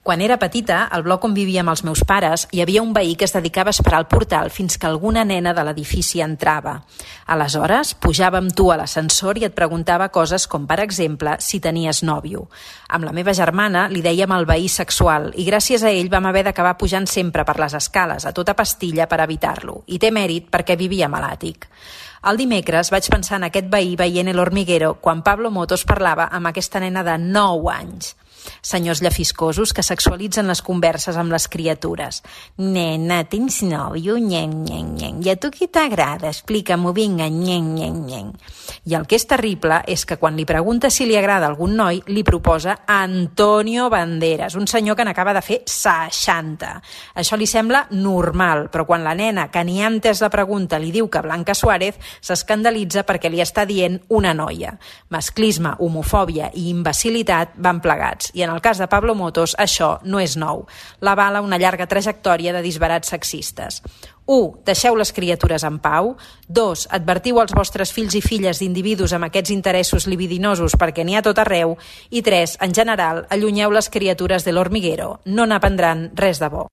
Quan era petita, al bloc on vivia amb els meus pares, hi havia un veí que es dedicava a esperar al portal fins que alguna nena de l'edifici entrava. Aleshores, pujava amb tu a l'ascensor i et preguntava coses com, per exemple, si tenies nòvio. Amb la meva germana li dèiem el veí sexual i gràcies a ell vam haver d'acabar pujant sempre per les escales, a tota pastilla, per evitar-lo. I té mèrit perquè vivíem a l'àtic. El dimecres vaig pensar en aquest veí veient El Hormiguero quan Pablo Motos parlava amb aquesta nena de 9 anys. Senyors llefiscosos que sexualitzen les converses amb les criatures. Nena, tens nòvio? Nyen, nyen, nyen. I a tu qui t'agrada? Explica-m'ho, vinga, nyen, nyen, nyen. I el que és terrible és que quan li pregunta si li agrada algun noi, li proposa Antonio Banderas, un senyor que n'acaba de fer 60. Això li sembla normal, però quan la nena, que ni ha entès la pregunta, li diu que Blanca Suárez, s'escandalitza perquè li està dient una noia. Masclisme, homofòbia i imbecilitat van plegats. I en el cas de Pablo Motos, això no és nou. L'avala una llarga trajectòria de disbarats sexistes. 1. Deixeu les criatures en pau. 2. Advertiu als vostres fills i filles d'individus amb aquests interessos libidinosos perquè n'hi ha tot arreu. I 3. En general, allunyeu les criatures de l'Hormiguero. No n'aprendran res de bo.